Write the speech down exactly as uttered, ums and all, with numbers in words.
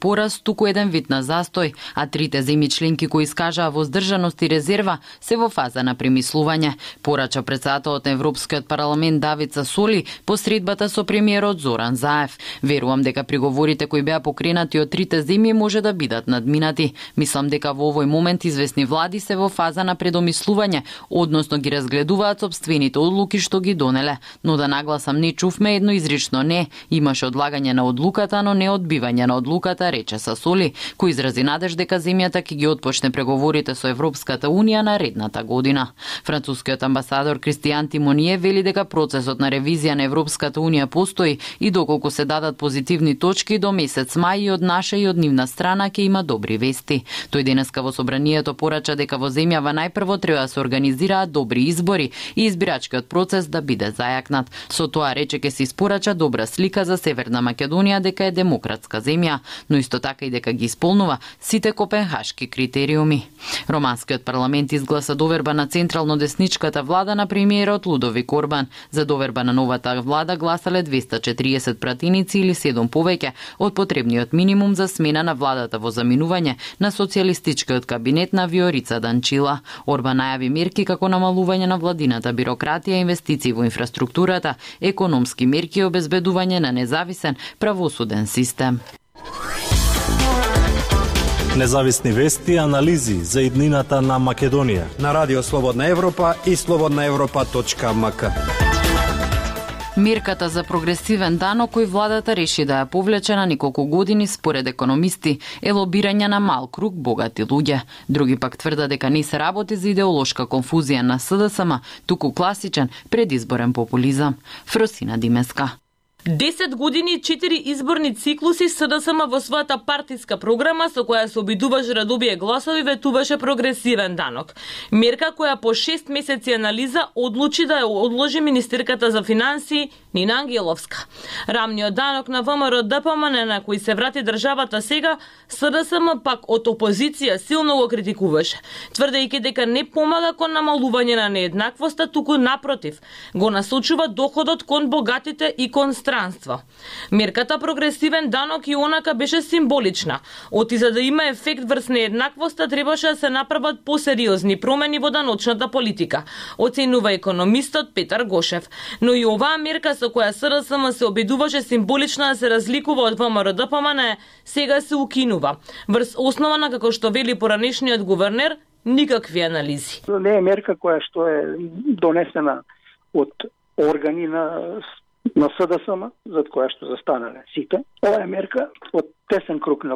пораст туку еден вид на застој, а трите земји членки кои искажаа воздржаност и резерва се во фаза на премислување, порача председателот на Европскиот парламент Давид Сасоли по средбата со премиерот Зоран Заев. Верувам дека приговорите кои беа покренати од трите земји може да бидат надминати. Мислам дека во овој момент известни влади се во фаза на предомислување, односно ги разгледуваат сопствените одлуки што ги донеле, но да нагласам не чувме едно изрично не, имаше одлагање на одлуката, но не одбивање на одлуката, рече Сасоли, кој изрази надеж дека земјата ќе ги отпочне преговорите со Европската унија наредната година. Францускиот амбасадор Кристијан Тимоние вели дека процесот на ревизија на Европската унија постои и доколку се дадат позитивни точки до месец мај и од наша и од нивна страна ќе има добри вести. Тој денеска во собранието порача дека во земјава најпрво треба да се организираат добри избори и избирачкиот процес да биде зајакнат. Со тоа рече ќе се испорача добра слика за Северна Македонија дека е демократска земја, но исто така и дека ги исполнува сите копенхашки критериуми. Романскиот парламент изгласа доверба на централно-десничката влада на премиерот Лудовик Орбан. За доверба на новата влада гласале двеста четириесет пратеници или седум повеќе од потребниот минимум за смена на владата во заминување на социјалистичкиот кабинет на Виорица Данчила. Орбан најави мерки како намалување на владината бирократија, инвестиции во инфраструктурата, економски мерки и обезбедување на независен правосуден систем. Независни вести и анализи за иднината на Македонија на Радио Слободна Европа и слободна европа точка ем ка. Мерката за прогресивен данок кој владата реши да ја повлече на неколку години според економисти е лобирање на мал круг богати луѓе. Други пак тврдат дека не се работи за идеолошка конфузија на СДСМ, туку класичен предизборен популизам. Фросина Димеска. десет години и четири изборни циклуси СДСМ во својата партиска програма со која се обидуваше да добие гласови ветуваше прогресивен данок. Мерка која по шест месеци анализа одлучи да ја одложи министерката за финансии Нина Ангеловска. Рамниот данок на ВМРО Д П М Н на кој се врати државата сега, СДСМ пак од опозиција силно го критикуваше, тврдејќи дека не помага кон намалување на нееднаквоста, туку напротив, го насочува доходот кон богатите и кон странство. Мерката прогресивен данок и онака беше символична. Оти за да има ефект врз нееднаквоста требаше да се направат посериозни промени во даночната политика, оценува економистот Петар Гошев. Но и оваа мерка со која СДСМ се обидуваше символично да се разликува од ВМРО Д П М Н сега се укинува. Врз основа на, како што вели поранешниот гувернер, никакви анализи. Не е мерка која што е донесена од органи на на СДСМ, зад која што застанале сите. Ова е мерка од тесен круг на